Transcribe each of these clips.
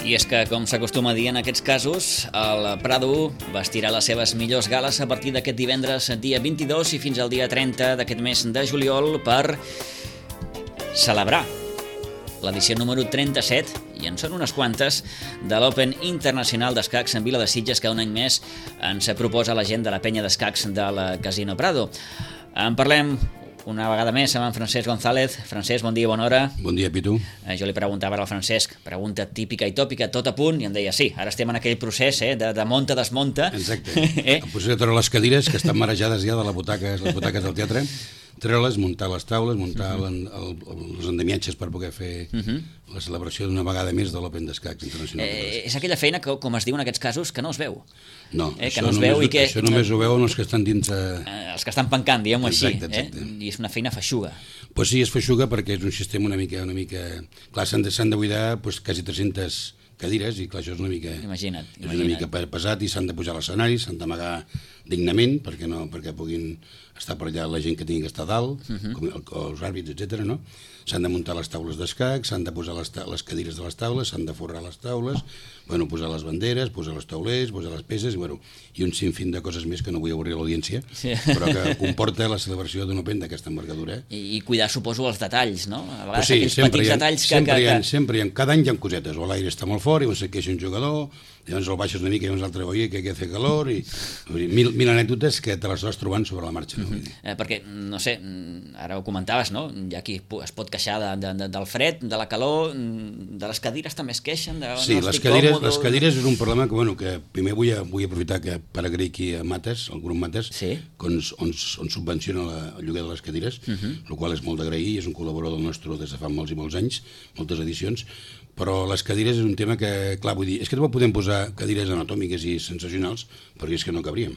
I és que, com s'acostuma a dir en aquests casos, el Prado vestirà les seves millors gales a partir d'aquest divendres, dia 22 i fins al dia 30 d'aquest mes de juliol per celebrar l'edició número 37, i en són unes quantes, de l'Open Internacional d'Escacs en Vila de Sitges, que un any més ens proposa la gent de la penya d'escacs del Casino Prado. En parlem una vegada més amb en Francesc González. Francesc, bon dia, bona hora. Bon dia, Pitu. Jo li preguntava al Francesc, pregunta típica i tòpica, tot a punt, i em deia sí, ara estem en aquell procés de monta-desmonta. Exacte. El procés de treure les cadires que estan marejades ja de les butaques del teatre, treure-les, muntar les taules, muntar els endemiatges per poder fer la celebració d'una vegada més de l'Open d'Escacs Internacional. És aquella feina que, com es diu en aquests casos, que no es veu. No, que no es veu i que això només ho veuen els que estan dins... Els que estan pencant, diguem-ho així. Exacte. I és una feina feixuga. Pues sí, és feixuga perquè és un sistema una mica... Clar, s'han de buidar quasi 300 cadires i clar, això és una mica... Imagina't. És una mica pesat i s'han de pujar a l'escenari, s'han d'amagar dignament perquè puguin estar per allà la gent que tingui que estar a dalt, com els àrbits, etc. No? S'han de muntar les taules d'escacs, s'han de posar les cadires de les taules, s'han de forrar les taules, posar les banderes, posar els taulers, posar les peces, i un sinfín de coses més que no vull avorrir l'audiència, però que comporta la celebració d'un Open d'aquesta envergadura. I cuidar, suposo, els detalls, no? A vegades sí, aquells petits detalls sempre hi ha, cada any hi ha cosetes, o l'aire està molt fort i se queixa un jugador, llavors el baixes una mica i llavors l'altre, oi, que hace calor, i mil anècdotes que te les vas trobant sobre la marxa. No? Perquè, no sé, ara ho comentaves, no? Hi ha qui es pot queixar del fred, de la calor, de les cadires també es queixen. Sí, les cadires és un problema que primer vull aprofitar per agrair aquí a Mates, el grup Mates, on subvenciona el lloguer de les cadires, el qual és molt d'agrair, és un col·laborador nostre des de fa molts i molts anys, moltes edicions, però les cadires és un tema que, clar, vull dir, és que no podem posar cadires anatòmiques i sensacionals, perquè és que no cabríem.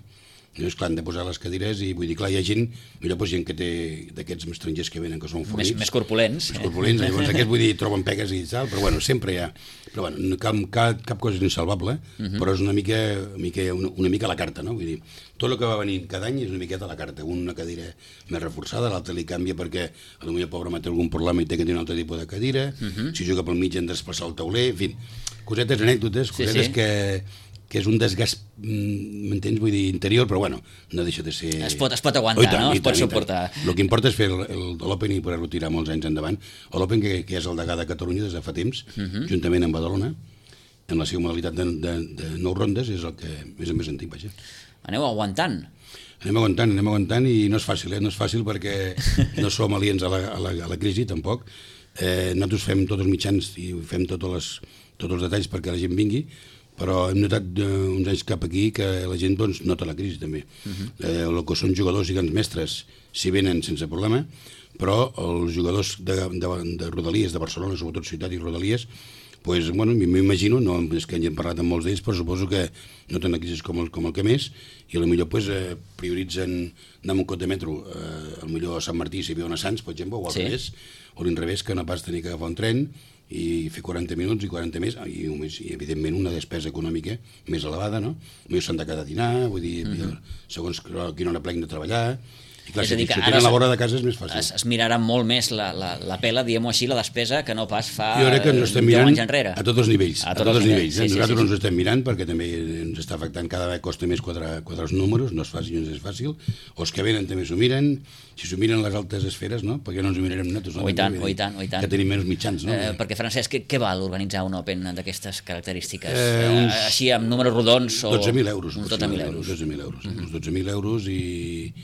És clar, han de posar les cadires i vull dir, clar, hi ha gent, gent que té d'aquests estrangers que venen, que són fornits. Més corpulents. Més corpulents, llavors aquests, vull dir, troben pegues i tal, però sempre hi ha. Però cap cosa és insalvable, però és una mica a la carta, no? Vull dir, tot el que va venint cada any és una miqueta a la carta. Una cadira més reforçada, l'altra li canvia perquè potser el pobre té algun problema i té que tenir un altre tipus de cadira, si juga pel mig han de desplaçar el tauler, en fi, cosetes, anècdotes, cosetes que és un desgast, m'entens, vull dir, interior, però no deixa de ser... Es pot aguantar, no? Es pot suportar. El que importa és fer l'Open i poder-lo tirar molts anys endavant. L'Open, que és el degà de Catalunya des de fa temps, juntament amb Badalona, en la seva modalitat de 9 rondes, és el que és el més antic, vaja. Aneu aguantant. Anem aguantant i no és fàcil, no és fàcil perquè no som aliens a la crisi, tampoc. Nosaltres fem tots els mitjans i fem tots els detalls perquè la gent vingui, però hem notat uns anys cap aquí que la gent nota la crisi també. El que són jugadors i grans mestres s'hi venen sense problema, però els jugadors de Rodalies, de Barcelona, sobretot Ciutat i Rodalies, m'imagino, no és que hagin parlat amb molts d'ells, però suposo que noten la crisi com el que més, i potser prioritzen anar amb un cot de metro, potser a Sant Martí si viuen a Sants, per exemple, o al revés, o l'inrevés, que no pas tenir que agafar un tren i fer 40 minuts i 40 més, i evidentment una despesa econòmica més elevada, no? Potser s'han de quedar a dinar, vull dir, segons quina hora pleguen de treballar. I clar, si tenen la vora de casa és més fàcil. Es mirarà molt més la pela, diguem-ho així, la despesa, que no pas fa 10 anys enrere. A tots els nivells. Nosaltres ens estem mirant perquè també ens està afectant, cada vegada costa més quadrar els números, no és fàcil, o els que venen també s'ho miren, si s'ho miren les altes esferes, no? Perquè no ens ho mirarem nosaltres. I tant. Que tenim menys mitjans, no? Perquè, Francesc, què val organitzar un Open d'aquestes característiques? Així, amb números rodons? 12.000 euros. 12.000 euros. Uns 12.000 euros i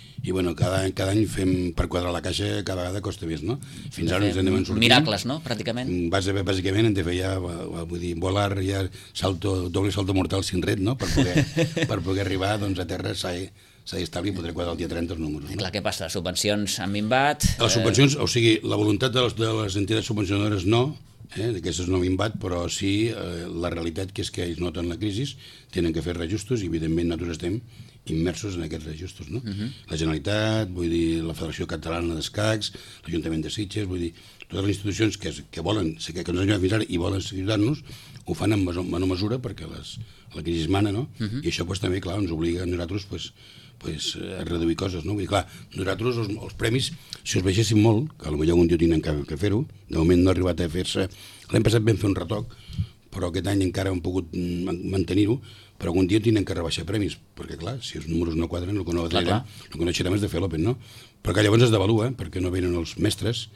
cada any fem per quadrar la caixa, cada vegada costa més, no? Fins ara ens anem sortint. Miracles, no?, pràcticament. Bàsicament hem de fer ja, vull dir, volar ja doble salto mortal sin red, no?, per poder arribar a terra s'ha d'establir i poder quadrar el dia 30 els números. Clar, què passa? Les subvencions han minvat? Les subvencions, o sigui, la voluntat de les entitats subvencionadores no, d'aquestes no minvat, però sí la realitat que és que ells noten la crisi, tenen que fer reajustos i evidentment nosaltres estem immersos en aquests reajustos, no? La Generalitat, vull dir, la Federació Catalana d'Escacs, l'Ajuntament de Sitges, vull dir, totes les institucions que volen, que ens han ajudat fins ara i volen ajudar-nos, ho fan en menor mesura perquè la crisi mana, no? I això també, clar, ens obliga a nosaltres a reduir coses, no? Vull dir, clar, nosaltres els premis, si els veiéssim molt, que potser algun dia tindrem que fer-ho, de moment no ha arribat a fer-se, l'any passat vam fer un retoc, però aquest any encara hem pogut mantenir-ho, però algun dia tenen que rebaixar premis, perquè clar, si els números no quadren, el que no deixarem és de fer l'Open, no? Però que llavors es devalua, perquè no venen els mestres,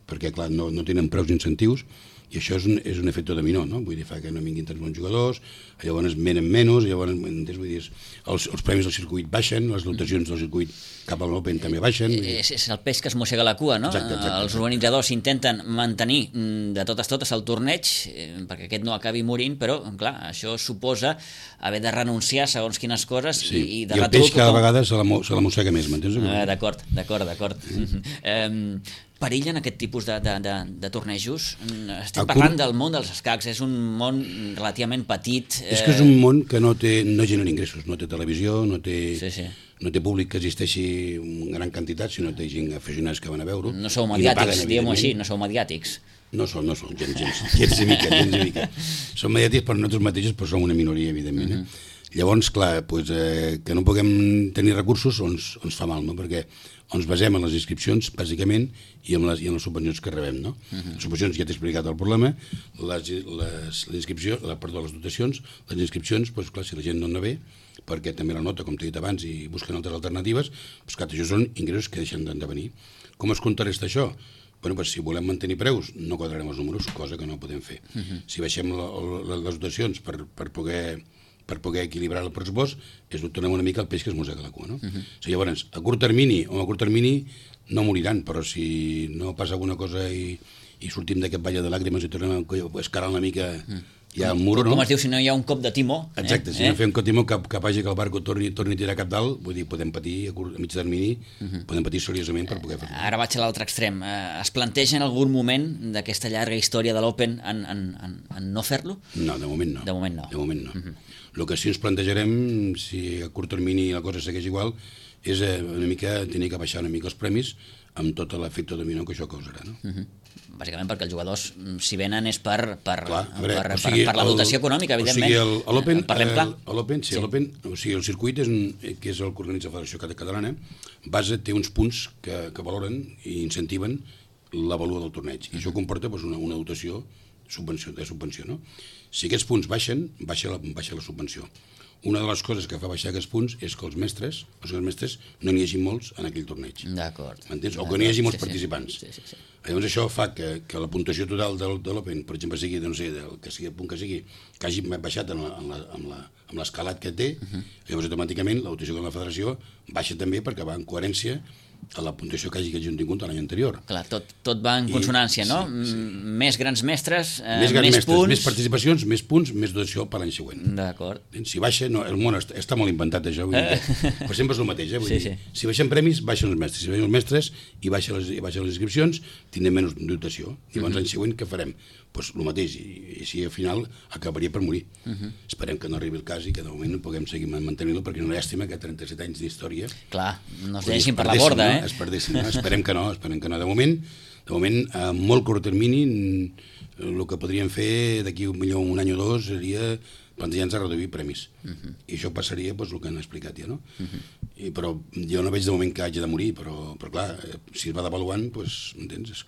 perquè clar, no tenen preus incentius, i això és un efecte dominó, no? Vull dir, fa que no vinguin tants bons jugadors, llavors venen menys, llavors, vull dir, els premis del circuit baixen, les dotacions del circuit cap a l'Open també baixen. És el peix que es mossega la cua, no? Exacte. Els organitzadors intenten mantenir de totes el torneig, perquè aquest no acabi morint, però, clar, això suposa haver de renunciar a segons quines coses i de el peix cada vegada se la mossega més, m'entens? D'acord. Perillen aquest tipus de tornejos? Estem parlant del món dels escacs, és un món relativament petit. És que és un món que no genera ingressos, no té televisió, no té públic que existeixi en gran quantitat, sinó té gent aficionats que van a veure-ho. No sou mediàtics, diguem-ho així, no sou mediàtics. No som, gens i mica. Som mediàtics per nosaltres mateixos, però som una minoria, evidentment. Llavors, clar, que no puguem tenir recursos ens fa mal, no? Perquè ens basem en les inscripcions, bàsicament, i en les subvencions que rebem, no? Les subvencions, ja t'he explicat el problema, les dotacions, les inscripcions, clar, si la gent no en ve, perquè també la nota, com t'he dit abans, i busquen altres alternatives, clar, això són ingressos que deixen de venir. Com es contrarresta això? Si volem mantenir preus, no quadrarem els números, cosa que no podem fer. Si baixem les dotacions per poder equilibrar el pressupost, tornem una mica el peix que es mossega la cua, no? Llavors, a curt termini no moriran, però si no passa alguna cosa i sortim d'aquest valle de làgrimes i tornem a escalar una mica ja al mur, no? Com es diu, si no hi ha un cop de timó. Exacte, si no fem un cop de timó que faci que el barco torni a tirar cap dalt, vull dir, podem patir a mig termini, podem patir seriosament per poder fer-ho. Ara vaig a l'altre extrem. Es planteja en algun moment d'aquesta llarga història de l'Open en no fer-lo? No, de moment no. De moment no. El que sí ens plantejarem, si a curt termini la cosa segueix igual, és una mica tenir que baixar una mica els premis amb tot l'efecte dominó que això causarà, no? Bàsicament perquè els jugadors, si venen, és per la dotació econòmica, evidentment. O sigui, parlem clar. L'Open, o sigui, el circuit, que és el que organitza la Federació Catalana, té uns punts que valoren i incentiven la valua del torneig. I això comporta una dotació de subvenció, no? Si aquests punts baixen, baixa la subvenció. Una de les coses que fa baixar aquests punts és que els mestres no n'hi hagi molts en aquell torneig. D'acord. M'entens? O que n'hi hagi molts participants. Llavors això fa que la puntuació total de l'Open, per exemple, sigui, que sigui el punt que sigui, que hagi baixat amb l'escalat que té, llavors automàticament la dotació de la federació baixa també perquè va en coherència a la puntuació que hagi tingut l'any anterior. Clar, tot va en consonància, no? Més grans mestres, més punts... Més participacions, més punts, més dotació per l'any següent. D'acord. Si baixa, el món està molt inventat, això, però sempre és el mateix, Si baixen premis, baixen els mestres. Si baixen els mestres i baixen les inscripcions, tindrem menys dotació. I llavors l'any següent què farem? Doncs el mateix, i així al final acabaria per morir. Esperem que no arribi el cas i que de moment no puguem seguir mantenint-lo, perquè és una llàstima que 37 anys d'història... Clar, no es deixin per la borda, es perdessin, no? Esperem que no. De moment, a molt curt termini, el que podríem fer d'aquí un any o dos seria plantejar-nos a reduir premis. I això passaria el que han explicat ja, no? Però jo no veig de moment que hagi de morir, però clar, si es va devaluant, m'entens?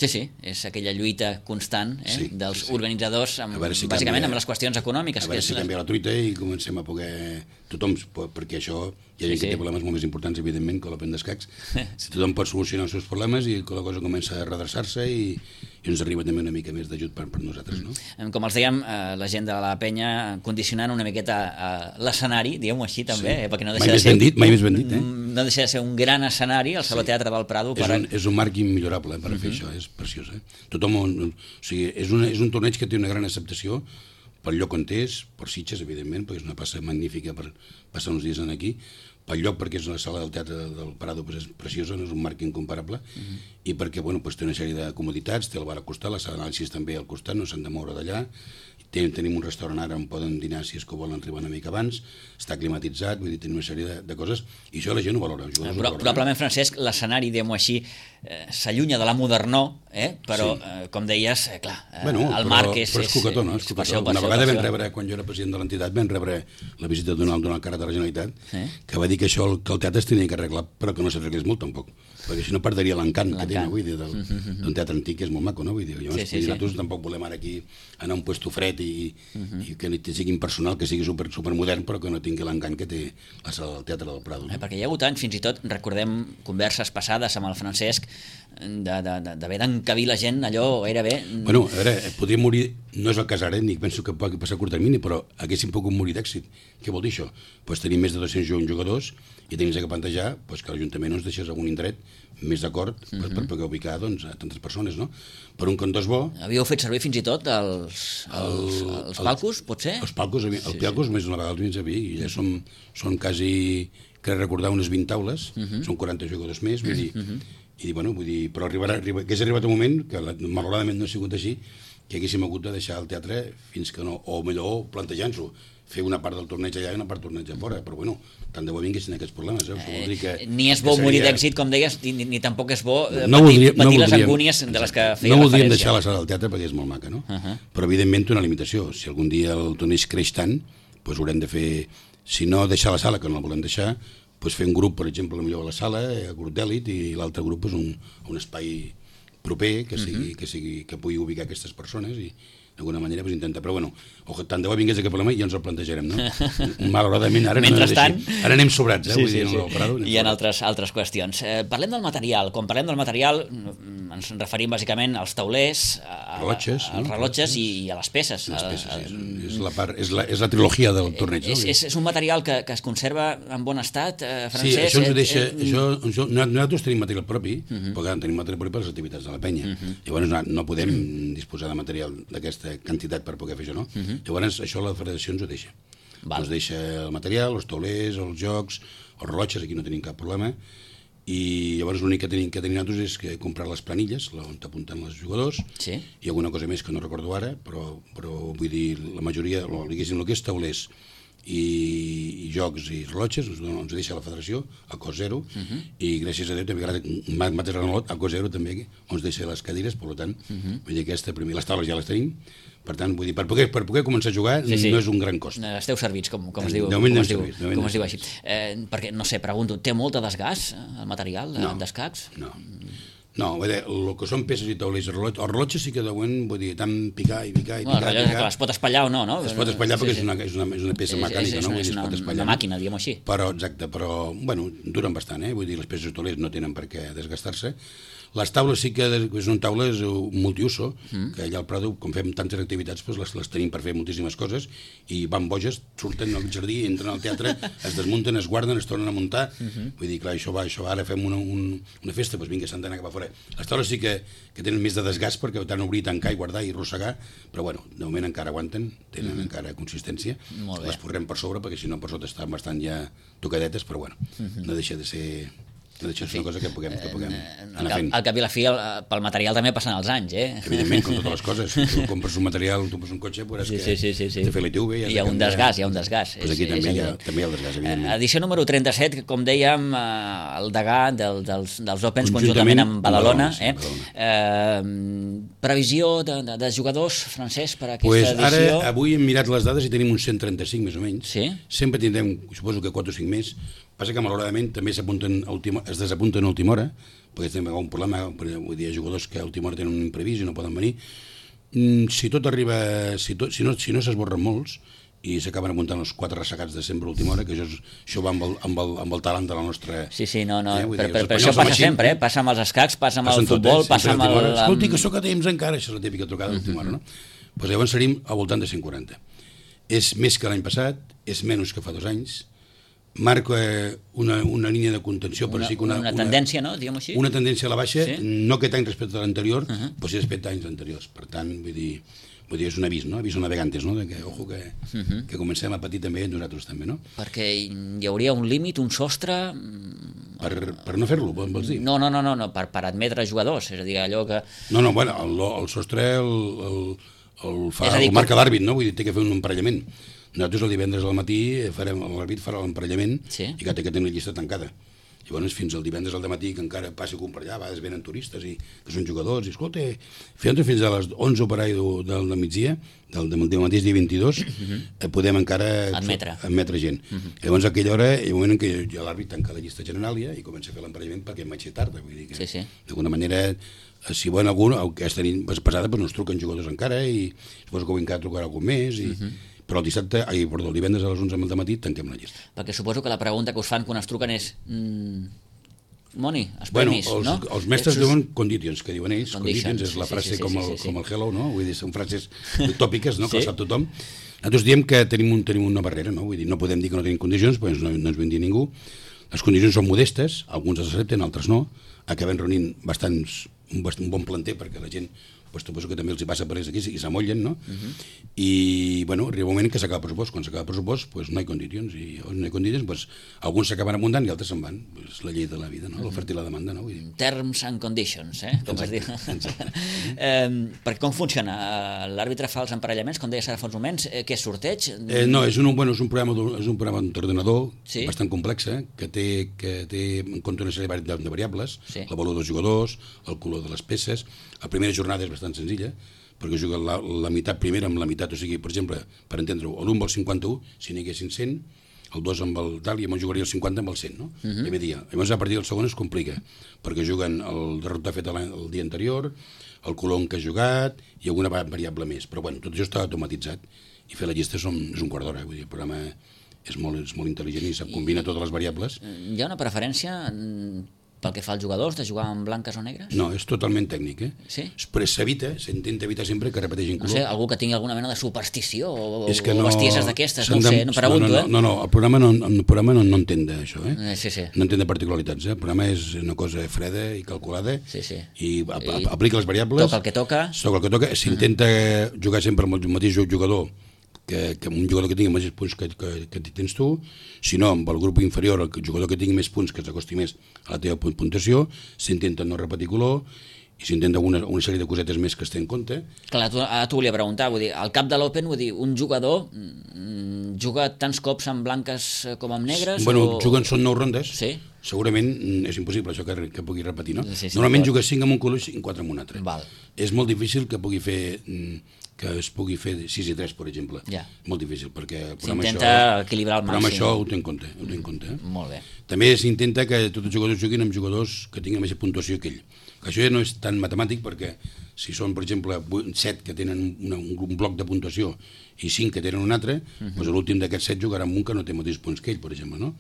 Sí, és aquella lluita constant dels organitzadors, bàsicament amb les qüestions econòmiques. A veure si canvia la truita i comencem a poder... Tothom, perquè això hi ha gent que té problemes molt més importants, evidentment, que l'Open d'escacs. Si tothom pot solucionar els seus problemes i que la cosa comença a redreçar-se i ens arriba també una mica més d'ajut per nosaltres, no? Com els dèiem, la gent de la penya condicionant una miqueta l'escenari, diguem-ho així també, perquè no deixa de ser... Mai més ben dit, no deixa de ser un gran escenari, el Saló Teatre del Prado. És un marc immillorable per fer això, és preciós. Tothom, o sigui, és un torneig que té una gran acceptació pel lloc on és, per Sitges, evidentment, perquè és una passa magnífica per passar uns dies aquí, pel lloc perquè és la sala del Teatre del Prado, és preciosa, és un marc incomparable, i perquè té una sèrie de comoditats, té el bar al costat, la sala d'anàlisis també al costat, no s'han de moure d'allà, tenim un restaurant ara on poden dinar si és que volen arribar una mica abans, està climatitzat, vull dir, tenim una sèrie de coses, i això la gent ho valora. Probablement, Francesc, l'escenari, diguem-ho així, s'allunya de la modernor però, com deies, clar, el Marc és... Però és cucató, no? És cucató. Una vegada vam rebre, quan jo era president de l'entitat, vam rebre la visita d'un alt càrrec de la Generalitat, que va dir que això, que el teatre es tenia que arreglar, però que no s'arreglés molt, tampoc. Perquè si no perderia l'encant que té, vull dir, d'un teatre antic, que és molt maco, no? Vull dir, llavors, nosaltres tampoc volem ara aquí anar a un puesto fred i que sigui impersonal, que sigui supermodern, però que no tingui l'encant que té la sala del Teatre del Prado. Perquè hi ha hagut anys, fins i tot, recordem converses passades amb el Francesc, d'haver d'encabir la gent allò gairebé... Bueno, a veure, podria morir, no és el cas ara, ni penso que pugui passar a curt termini, però haguéssim pogut morir d'èxit. Què vol dir això? Pues tenim més de 201 jugadors i tenim que plantejar pues, que l'Ajuntament ens deixés algun indret més d'acord per poder ubicar doncs, a tantes persones, no? Per un cantó és bo... Havíeu fet servir fins i tot els palcos, potser? Els palcos, els palcos més d'una vegada els havia servir, i ja són quasi, crec recordar, unes 20 taules, són 40 jugadors més, vull dir... I bueno, vull dir, però hagués arribat un moment, que malauradament no ha sigut així, que haguéssim hagut de deixar el teatre fins que no, o millor plantejant-s'ho, fer una part del torneig allà i una part del torneig a fora, però bueno, tant de bo vinguessin aquests problemes. Vol dir que, ni és bo morir d'èxit, com deies, ni tampoc és bo patir les angúnies de les que feia referència. No voldríem deixar la sala del teatre perquè és molt maca, no? Però evidentment té una limitació. Si algun dia el torneig creix tant, doncs haurem de fer, si no deixar la sala, que no la volem deixar, doncs fer un grup, per exemple, millor a la sala, grup d'èlit, i l'altre grup és un espai proper que pugui ubicar aquestes persones i d'alguna manera pues, intenta, però bueno, tant de bo vingués aquest problema i ja ens el plantejarem, no? Malauradament ara ara anem sobrats, vull dir, no Prado, hi ha altres qüestions. Parlem del material. Quan parlem del material ens referim bàsicament als taulers, als rellotges i a les peces. És la trilogia del torneig. És un material que es conserva en bon estat, Francesc? Sí, això ens deixa... Nosaltres tenim material propi, perquè tenim material propi per les activitats de la penya. Llavors no podem disposar de material d'aquesta quantitat per poder fer això, no? Llavors això la federació ens ho deixa. Ens deixa el material, els taulers, els jocs, els rellotges, aquí no tenim cap problema, i llavors l'únic que tenim nosaltres és que comprar les planilles on t'apunten els jugadors i alguna cosa més que no recordo ara, però vull dir, la majoria, diguéssim, el que és taulers i jocs i rellotges ens deixa la federació a cost zero, i gràcies a Déu també mateix a cost zero també ens deixa les cadires, per tant vull dir, les taules ja les tenim, per tant, vull dir, per poder començar a jugar no és un gran cost. Esteu servits, com es diu així. Perquè, no sé, pregunto, té molt de desgast el material d'escacs? No, vull dir, el que són peces i taulers i rellotges, els rellotges sí que deuen, vull dir, tant picar i picar. Es pot espatllar o no, no? Es pot espatllar perquè és una peça mecànica, no? És una màquina, diguem-ho així. Exacte, però, bueno, duren bastant, vull dir, les peces i taulers no tenen per què desgastar-se. Les taules sí que són taules multiuso, que allà al Prado, com fem tantes activitats, les tenim per fer moltíssimes coses, i van boges, surten al jardí, entren al teatre, es desmunten, es guarden, es tornen a muntar. Vull dir, clar, això ara fem una festa, doncs vinga, s'han d'anar cap a fora. Les taules sí que tenen més de desgast, perquè tant obrir, tancar i guardar i arrossegar, però bueno, de moment encara aguanten, tenen encara consistència. Les posarem per sobre, perquè si no per sota estan bastant ja tocadetes, però bueno, no deixa de ser... és una cosa que puguem anar fent. Al cap i la fi, pel material també passen els anys, Evidentment, com totes les coses. Si tu compres un material, tu compres un cotxe, veuràs que t'he fet l'ITV... Hi ha un desgast. Doncs aquí també hi ha el desgast, evidentment. Edició número 37, com dèiem, el degà dels Opens conjuntament amb Badalona. Previsió de jugadors, Francesc, per aquesta edició? Ara, avui hem mirat les dades i tenim uns 135 més o menys. Sempre tindrem, suposo que 4 o 5 més. Passa que malauradament també es desapunten a última hora, perquè tenim un problema, vull dir, jugadors que a última hora tenen un imprevist i no poden venir. Si tot arriba, si no s'esborren molts i s'acaben apuntant els 4 ressecats de sempre a última hora, que això va amb el talent de la nostra... Sí, però això passa sempre, passa amb els escacs, passa amb el futbol, passa amb el... Escolti, que sóc a temps encara, això és la típica trucada d'última hora, no? Doncs llavors seríem al voltant de 140. És més que l'any passat, és menys que fa 2 anys, marca una línia de contenció, una tendència, no? Diguem-ho així. Una tendència a la baixa, no aquest any respecte a l'anterior, però sí respecte a anys anteriors. Per tant, vull dir, és un avís, no? Avís a navegantes, no? Ojo que comencem a patir també nosaltres també, no? Perquè hi hauria un límit, un sostre... Per no fer-lo, vols dir? No, per admetre jugadors, és a dir, allò que... No, bueno, el sostre el marca l'àrbit, no? Vull dir, té que fer un emparellament. Nosaltres el divendres al matí l'àrbit farà l'emparellament i que té que tenir la llista tancada. Llavors, fins al divendres al dematí, que encara passi com per allà, a vegades venen turistes i que són jugadors, i escolta, fins a les 11 per ahí del migdia, del mateix dia 22, podem encara admetre gent. Llavors, a aquella hora, hi ha un moment en què l'àrbit tanca la llista general i comença a fer l'emparellament perquè em vaig ser tard, vull dir que d'alguna manera, si volen algú, aquesta nit passada no es truquen jugadors encara i suposo que avui encara trucarà algú més però el divendres a les 11 del matí tanquem la llista. Perquè suposo que la pregunta que us fan quan es truquen és Moni, els premis, no? Els mestres diuen conditions, que diuen ells. Conditions és la frase com el hello, no? Vull dir, són frases tòpiques, no? Que ho sap tothom. Nosaltres diem que tenim una barrera, no? Vull dir, no podem dir que no tenim condicions, perquè no ens ven dir ningú. Les condicions són modestes, alguns les accepten, altres no. Acabem reunint un bon planter perquè la gent suposo que també els hi passa per ells aquí i s'amollen, no? I, bueno, arriba un moment que s'acaba el pressupost. Quan s'acaba el pressupost, no hi ha condicions. I no hi ha condicions, alguns s'acaben abundant i altres se'n van. És la llei de la vida, no? L'oferta i la demanda, no? Terms and conditions, com es diu. Perquè com funciona? L'àrbitre fa els emparellaments, com deies ara fa uns moments, què és sorteig? No, és un programa d'ordenador bastant complex, que té en compte una sèrie de variables, la valor dels jugadors, el color de les peces. La primera jornada és bastant senzilla, perquè juga la meitat primera amb la meitat, o sigui, per exemple, per entendre-ho, l'1 amb el 51, si n'hi haguessin 100, el 2 amb el tal, i llavors jugaria el 50 amb el 100, no? Primer dia. Llavors, a partir del segon es complica, perquè juguen el derrotat fet el dia anterior, el color en què ha jugat, i alguna variable més. Però, bueno, tot això està automatitzat, i fer la llista és un quart d'hora, vull dir, el programa és molt intel·ligent i combina totes les variables. Hi ha una preferència pel que fa als jugadors, de jugar amb blanques o negres? No, és totalment tècnic, Sí? Però s'intenta evitar sempre que repeteixin color. No sé, algú que tingui alguna mena de superstició o bestieses d'aquestes, no ho sé, no pregunto, No, el programa no entén d'això, Sí. No entén de particularitats, El programa és una cosa freda i calculada i aplica les variables. Toca el que toca. S'intenta jugar sempre amb el mateix jugador que un jugador que tingui els mateixos punts que tens tu, si no, amb el grup inferior, el jugador que tingui més punts que s'acosti més a la teva puntuació, s'intenta no repetir color i s'intenta una sèrie de cosetes més que es té en compte. Clar, t'ho volia preguntar, vull dir, al cap de l'Open, vull dir, un jugador juga tants cops amb blanques com amb negres? Bueno, són 9 rondes. Sí. Segurament és impossible això que pugui repetir, no? Normalment juga 5 amb un color i 4 amb un altre. És molt difícil que es pugui fer 6 i 3, per exemple. Molt difícil, perquè s'intenta equilibrar al màxim. Però això ho té en compte. Molt bé. També s'intenta que tots els jugadors juguin amb jugadors que tinguin més puntuació que ell. Això ja no és tan matemàtic, perquè si són, per exemple, 7 que tenen un bloc de puntuació i 5 que tenen un altre, doncs l'últim d'aquests 7 jugarà amb un que no té mateixos punts que ell, per exemple, no?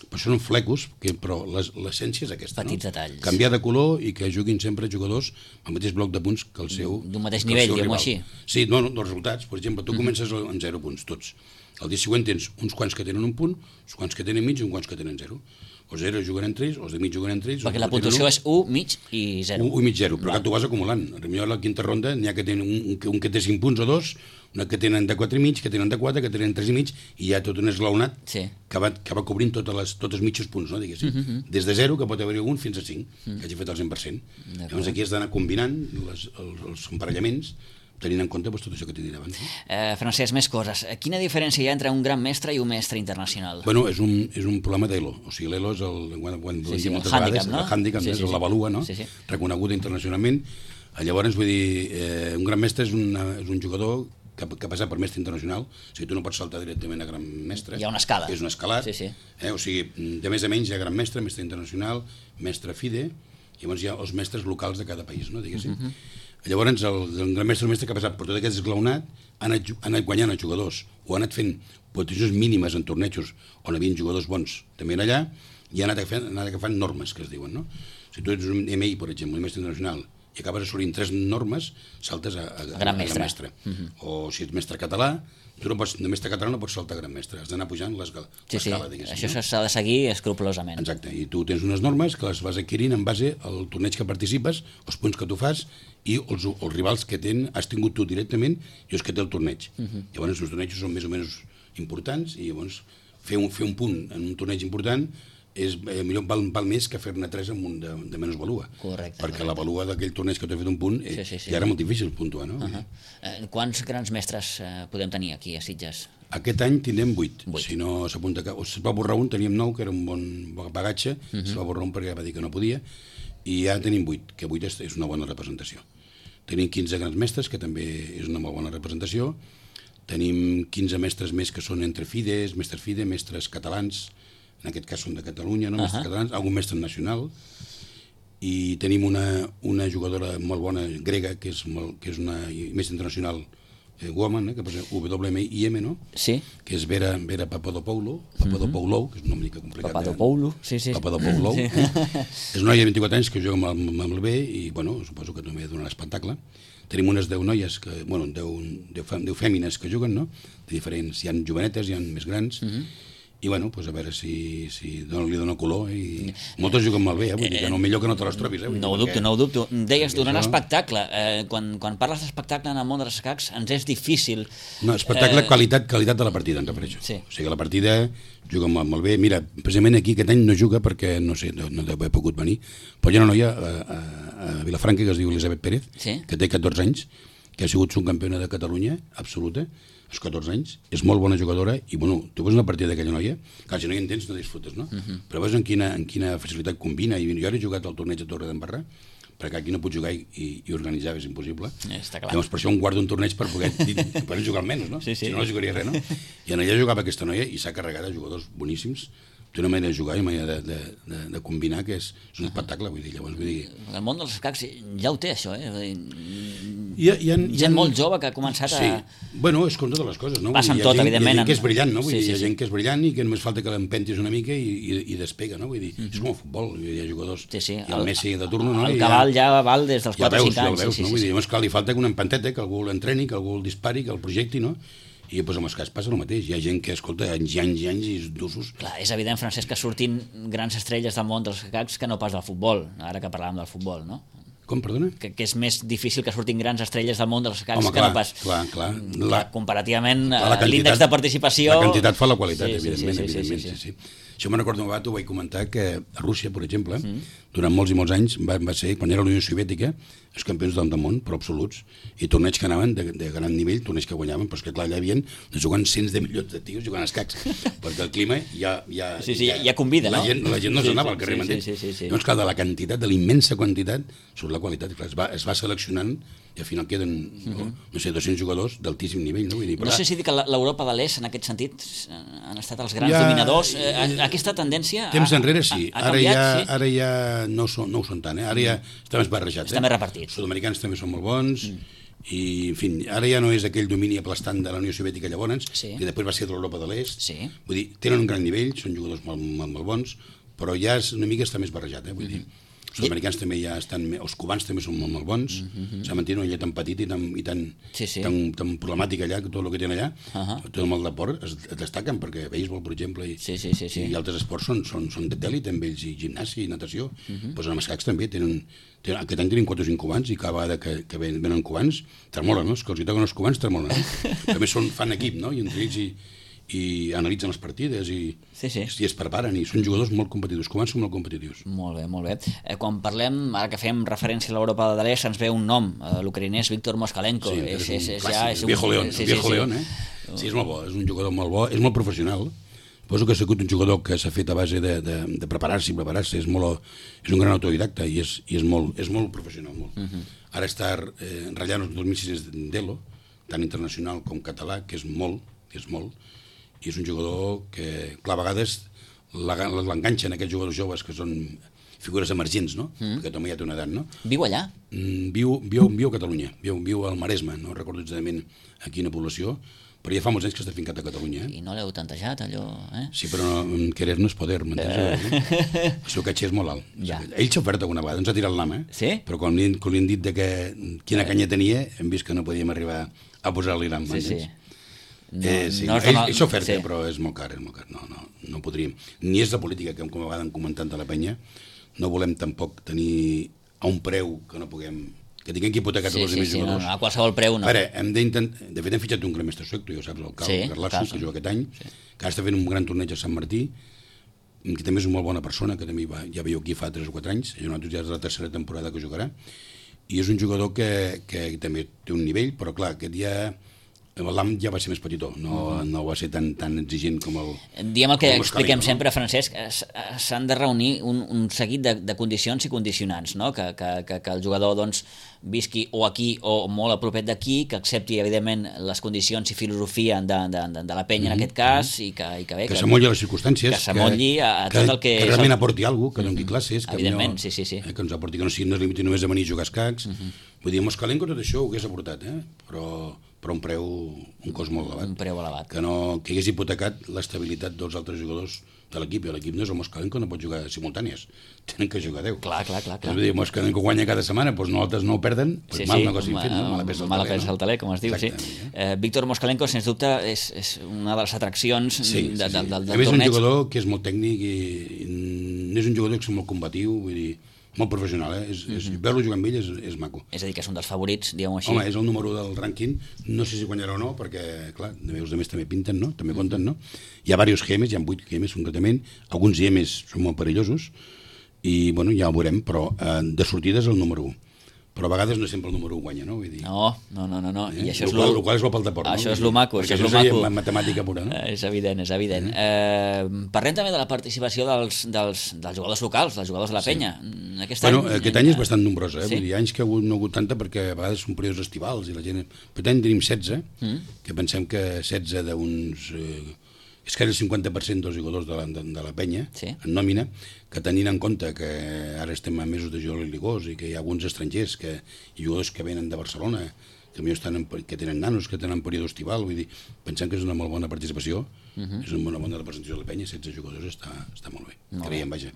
Però són flecos, però l'essència és aquesta, petits detalls. Canviar de color i que juguin sempre jugadors amb el mateix bloc de punts que el seu rival. D'un mateix nivell, diguem-ho així. Sí, no, dels resultats. Per exemple, tu comences amb 0 punts, tots. El dia següent tens uns quants que tenen un punt, uns quants que tenen mig i uns quants que tenen 0. Els 0 juguen entre ells, els de mig juguen entre ells... Perquè la puntuació és 1, mig i 0. 1 i mig 0, però tu vas acumulant. Potser a la quinta ronda n'hi ha que tenen un que té 5 punts o 2, una que tenen de 4 i mig, que tenen de 4, que tenen 3 i mig, i hi ha tot un esglaonat que va cobrint tots els mitjos punts, no, diguéssim. Des de 0, que pot haver-hi algun, fins a 5, que hagi fet el 100%. Llavors aquí has d'anar combinant els emparellaments, tenint en compte tot això que t'he dit abans. Francesc, més coses. Quina diferència hi ha entre un gran mestre i un mestre internacional? Bueno, és un problema d'ELO. O sigui, l'ELO és el hàndicap, és l'avalua, no? Reconeguda internacionalment. Llavors, vull dir, un gran mestre és un jugador que ha passat per mestre internacional, o sigui, tu no pots saltar directament a gran mestre. Hi ha una escala. És un escalat. O sigui, de més a menys hi ha gran mestre, mestre internacional, mestre FIDE, i llavors hi ha els mestres locals de cada país, no, diguéssim. Llavors, el gran mestre que ha passat per tot aquest esglaonat ha anat guanyant els jugadors, o ha anat fent posicions mínimes en tornejos on hi havia jugadors bons també allà, i ha anat agafant normes, que es diuen, no? Si tu ets un MI, per exemple, un mestre internacional, i acabes assolint 3 normes, saltes a gran mestre. O si ets mestre català, tu no pots, de mestre català no pots saltar a gran mestre, has d'anar pujant l'escala. Això s'ha de seguir escrupolosament. Exacte, i tu tens unes normes que les vas adquirint en base al torneig que participes, els punts que tu fas i els rivals que has tingut tu directament i els que té el torneig. Llavors els tornejos són més o menys importants i llavors fer un punt en un torneig important millor val més que fer-ne 3 amb un de menys valua. Correcte. Perquè la valua d'aquell torneig que t'ha fet un punt ja era molt difícil puntuar, no? Quants grans mestres podem tenir aquí a Sitges? Aquest any tindrem 8. Si no s'apunta o es va borrar un, teníem 9, que era un bon bagatge, es va borrar un perquè va dir que no podia, i ja tenim 8, que 8 és una bona representació. Tenim 15 grans mestres, que també és una molt bona representació. Tenim 15 mestres més que són entre FIDEs, mestres FIDE, mestres catalans, en aquest cas són de Catalunya, no? Mestres catalans, algun mestre nacional, i tenim una jugadora molt bona grega, que és una mestra internacional woman, que posa WMIM, no? Sí. Que és Vera Papadopoulou, que és un nom mica complicat. Papadopoulou, sí. Papadopoulou. És una noia de 24 anys que juga amb el B i, bueno, suposo que també donarà espectacle. Tenim unes 10 noies, 10 fèmines que juguen, no? De diferents, hi ha jovenetes, hi ha més grans, i bueno, pues a veure si li dona color, i moltes juguen molt bé, vull dir que no, millor que no te les trobis. No ho dubto. Deies, donarà espectacle. Quan parles d'espectacle en el món dels escacs, ens és difícil... No, espectacle, qualitat de la partida, em refereixo. O sigui, la partida juga molt bé. Mira, precisament aquí aquest any no juga perquè, no sé, no deu haver pogut venir, però hi ha una noia a Vilafranca que es diu Elisabet Pérez, que té 14 anys, que ha sigut subcampiona de Catalunya, absoluta, als 14 anys, és molt bona jugadora, i bueno, tu veus una partida d'aquella noia, clar, si no hi entens no disfrutes, no? Però veus en quina facilitat combina, i jo he jugat al torneig a Torre d'Embarra, perquè aquí no pots jugar i organitzar és impossible. Està clar. Llavors per això guardo un torneig per poder jugar almenys, no? Sí. Si no jugaria res, no? I en allà jugava aquesta noia i s'ha carregat de jugadors boníssims. Té una manera de jugar i una manera de combinar que és un espectacle, vull dir. Llavors, el món dels escacs ja ho té, això, Hi ha gent molt jove que ha començat a... Sí, bueno, és com totes les coses, no? Passa amb tot, evidentment. Hi ha gent que és brillant, no? Vull dir, hi ha gent que és brillant i que només falta que l'empentis una mica i despega, no? Vull dir, és com el futbol, hi ha jugadors... Sí. I el Messi de turno, no? El cabal ja val des dels 4 o 5 anys. Ja el veus, no? Vull dir, llavors, clar, li falta una empanteta, que algú l'entreni, que algú el dispari, que el projecti, no? I doncs amb els cas passa el mateix. Hi ha gent que escolta anys i anys i d'usos. Clar, és evident, Francesc, que surtin grans estrelles del món dels escacs que no pas del futbol, ara que parlàvem del futbol, no? Com, perdona? Que és més difícil que surtin grans estrelles del món dels escacs que no pas... Clar. Comparativament, l'índex de participació... La quantitat fa la qualitat, evidentment. Sí. Això me'n recordo, ho vaig comentar, que a Rússia, per exemple, durant molts i molts anys, va ser, quan era la Unió Soviètica, els campions del món, però absoluts, i torneigs que anaven de gran nivell, torneigs que guanyaven, però és que clar, allà hi havia jugant cents de milions de tios jugant a escacs, perquè el clima ja convida, no? La gent no s'anava al carrer, m'entens? Llavors, clar, de la quantitat, de la immensa quantitat, surt la qualitat, clar, es va seleccionant i al final queden, no sé, 200 jugadors d'altíssim nivell, no? Vull dir, no sé si dir que l'Europa de l'Est, en aquest sentit, han estat els grans dominadors. Aquesta tendència temps enrere sí, ara ja no ho són tant, ara ja està més barrejat. Està més repartit. Els sud-americans també són molt bons, i en fi, ara ja no és aquell domini aplastant de la Unió Soviètica llavors, que després va ser de l'Europa de l'Est. Vull dir, tenen un gran nivell, són jugadors molt bons, però ja una mica està més barrejat, vull dir. Els sud-americans també ja estan... Els cubans també són molt bons. S'ha mantingut una illa tan petita i tan problemàtica allà, que tot el que tenen allà, tot el mal d'esport, es destaquen, perquè béisbol, per exemple, i altres esports són d'elit, amb ells, i gimnàsia i natació. Doncs en els escacs també aquest any tenim 4 o 5 cubans, i cada vegada que venen cubans, tremolen, no? Que els hi toquen els cubans, tremolen. També fan equip, no? I entre ells i analitzen les partides i es preparen, i són jugadors molt competitius. Cubans són molt competitius. Molt bé. Quan parlem, ara que fem referència a l'Europa de l'Est, ens ve un nom, l'ucraïnès Víctor Moskalenko. Sí, és un viejo león, Sí, és molt bo, és un jugador molt bo, és molt professional. Poso que ha sigut un jugador que s'ha fet a base de preparar-se, és un gran autodidacta i és molt professional. Ara està ratllant els 2006 d'Elo, tant internacional com català, que és molt, i és un jugador que, clar, a vegades l'enganxen aquests jugadors joves que són figures emergents, no? Perquè també ja té una edat, no? Viu allà? Viu a Catalunya, viu al Maresme, no recordo exactament a quina població, però ja fa molts anys que està fincat a Catalunya. I no l'heu tantejat, allò, Sí, però querer no és poder, m'entens? El seu caché és molt alt. Ell s'ha ofert alguna vegada, ens ha tirat l'ama, però quan li han dit quina canya tenia, hem vist que no podíem arribar a posar-li l'am, m'entens? Ell s'ha ofert, però és molt car, no podríem. Ni és la política que, com a vegades hem comentat de la penya, no volem tampoc tenir a un preu que no puguem... que tinguem que hipotecar tots els altres jugadors. A qualsevol preu no. A veure, de fet hem fitxat un gran mestre suec, tu ja ho saps, el Carlasson, que juga aquest any, que ara està fent un gran torneig a Sant Martí, que també és una molt bona persona, que també ja veieu aquí fa 3 o 4 anys, ja és la tercera temporada que jugarà, i és un jugador que també té un nivell, però clar, aquest ja L'AM ja va ser més petitó, no va ser tan exigent com el... Diem el que expliquem no? sempre, Francesc, s'han de reunir un seguit de condicions i condicionants, no? Que el jugador doncs, visqui o aquí o molt a propet d'aquí, que accepti evidentment les condicions i filosofia de la penya en aquest cas, i que bé... Que s'amolli a les circumstàncies, que s'amolli a tot el que... Que realment aporti alguna cosa, que doni classes, que evidentment, sí. Que ens aporti, que no es limiti només a venir a jugar a escacs. Vull dir, Moskalenko tot això ho hagués aportat, però un preu, un cost molt elevat. Un preu elevat. Que hagués hipotecat l'estabilitat dels altres jugadors de l'equip, i l'equip no és el Moskalenko, no pot jugar simultànies, tenen que jugar 10. Clar. Vull dir, Moskalenko guanya cada setmana, doncs nosaltres no ho perden, mal negoci fet, no? Mala pesa al taler, com es diu, sí. Víctor Moskalenko, sens dubte, és una de les atraccions del torneig. A més, és un jugador que és molt tècnic i és un jugador que és molt combatiu, vull dir, molt professional, veure-lo jugar amb ell és maco. És a dir, que és un dels favorits, diguem-ho així. Home, és el número 1 del rànquing, no sé si guanyarà o no, perquè, clar, els altres també pinten, no? També compten, no? Hi ha diversos gemes, hi ha 8 gemes concretament, alguns gemes són molt perillosos, i, bueno, ja ho veurem, però de sortida és el número 1. Però a vegades no sempre el número 1 guanya, no? Vull dir... No. I això és el qual és bo pel deport, no? Això és lo maco, perquè això és la matemàtica pura, no? És evident. Parlem també de la participació dels jugadors locals, dels jugadors de la penya. Aquest any és bastant nombrosa, Vull dir, anys que no ha hagut tanta perquè a vegades són períodes estivals i la gent... Aquest any tenim 16, que pensem que 16 d'uns... és que era el 50% dels jugadors de la penya, en nòmina, que tenint en compte que ara estem a mesos de juliol i ligós i que hi ha alguns estrangers i jugadors que venen de Barcelona, que tenen nanos, que tenen període estival, vull dir, pensem que és una molt bona participació, és una bona representació de la penya, 16 jugadors està molt bé, creiem, vaja.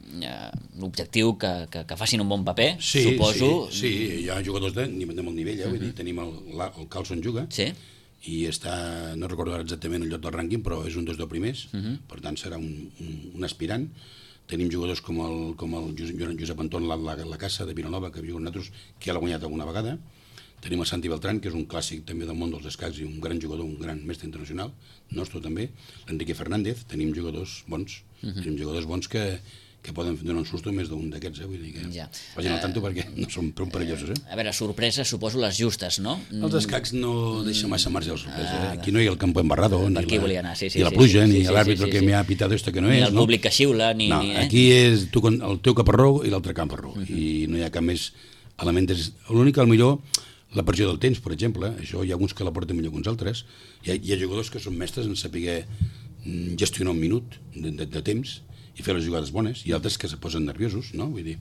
L'objectiu que facin un bon paper, suposo... Sí, hi ha jugadors de molt nivell, vull dir, tenim el Carlson juga, i no recordo exactament el lloc del rànquing, però és un dels 2 primers, per tant serà un aspirant. Tenim jugadors com el Josep Anton la Casa de Vilanova, que viu amb nosaltres, que ja l'ha guanyat alguna vegada. Tenim el Santi Beltrán, que és un clàssic també del món dels escacs i un gran jugador, un gran mestre internacional, nostre també. L'Enrique Fernández, tenim jugadors bons, que poden donar un susto més d'un d'aquests, vull dir que vagin al tanto perquè no són prou perillosos. A veure, sorpreses, suposo les justes, no? Els escacs no deixen massa marge de sorpresa. Aquí no hi ha el campo embarrado, ni la pluja, ni l'àrbitre que m'ha pitat esto que no és. Ni el públic que xiula, ni... No, aquí és el teu caparró i l'altre caparró, i no hi ha cap més element. L'únic, millor, la pressió del temps, per exemple, això hi ha alguns que la porten millor que uns altres. Hi ha jugadors que són mestres en saber gestionar un minut de temps i fer les jugades bones, i altres que se posen nerviosos, no? Vull dir,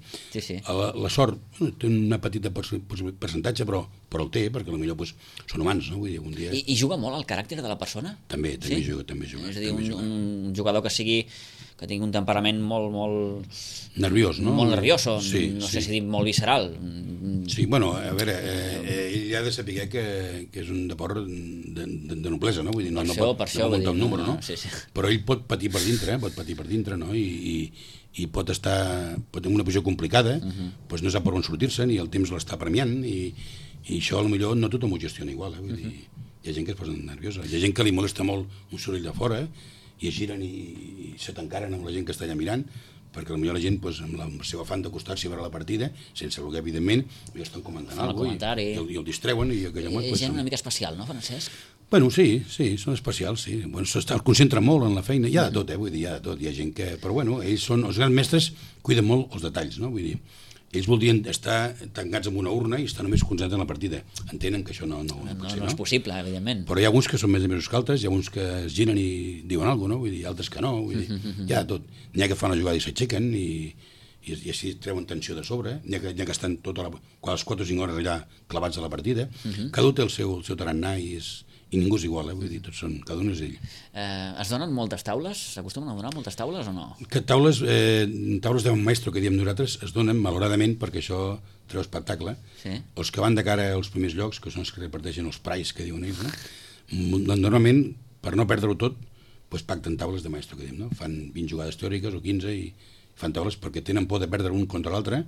la sort té una petita percentatge, però el té, perquè potser són humans, no? Vull dir, un dia... I juga molt el caràcter de la persona? També juga. És a dir, un jugador que tingui un temperament molt... nerviós, no? Molt nerviós, no sé si dir molt visceral. Sí, bueno, a veure, ell ha de saber que és un deport de noblesa, no? Vull dir, no pot muntar un número, no? Però ell pot patir per dintre, no? I pot tenir una posició complicada, doncs no sap per on sortir-se, ni el temps l'està premiant, i això potser no tothom ho gestiona igual, vull dir, hi ha gent que es posa nerviosa, hi ha gent que li molesta molt un soroll de fora, i es giren i se tancaren amb la gent que està allà mirant, perquè potser la gent, amb el seu afany d'acostar-s'hi a veure la partida, sense voler, evidentment, estan comentant alguna cosa i el distreuen. És gent una mica especial, no, Francesc? Bueno, sí, són especials, sí. Es concentren molt en la feina, hi ha de tot, vull dir, hi ha de tot. Hi ha gent que... Però bueno, ells són, els grans mestres cuiden molt els detalls, no? Vull dir, ells voldrien estar tancats en una urna i estar només concentrats en la partida. Entenen que això no pot ser, no? No és possible, evidentment. Però hi ha alguns que són més que altres, hi ha uns que es giren i diuen alguna cosa, no? Vull dir, altres que no, vull dir, hi ha de tot. N'hi ha que fan la jugada i s'aixequen i així treuen tensió de sobre, n'hi ha que estan quasi 4 o 5 hores allà clavats a la partida. Cada un té el seu tarannà i ningú és igual, vull dir, cada un és ell. Es donen moltes taules? S'acostumen a donar moltes taules o no? Que taules de un maestro que diem nosaltres es donen malauradament perquè això treu espectacle. Els que van de cara als primers llocs, que són els que reparteixen els prais que diuen ells, normalment, per no perdre-ho tot, pacten taules de maestro, que diem, no? Fan 20 jugades teòriques o 15 i fan taules perquè tenen por de perdre un contra l'altre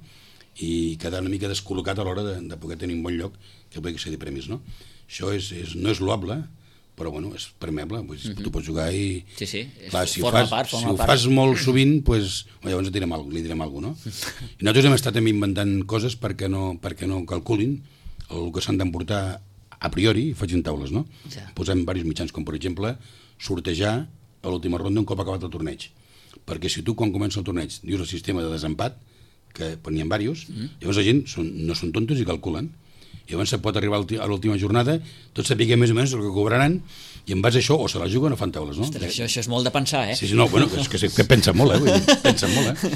i quedar una mica descol·locat a l'hora de poder tenir un bon lloc que pugui accedir premis, no? Això no és loable, però bueno, és permeable, tu pots jugar i... Sí, clar, si ho fas molt sovint, llavors li direm alguna cosa, no? I nosaltres hem estat inventant coses perquè no calculin el que s'han d'emportar a priori facin taules, no? Ja. Posem diversos mitjans, com per exemple sortejar a l'última ronda un cop acabat el torneig. Perquè si tu quan comença el torneig dius el sistema de desempat, que n'hi ha diversos, llavors la gent no són tontos i calculen. I llavors se pot arribar a l'última jornada, tots sapiguem més o menys el que cobraran, i en base a això o se la juguen o fan taules, no? Ostres, això és molt de pensar, eh? Sí, no, bueno, és que pensen molt, vull dir, pensen molt,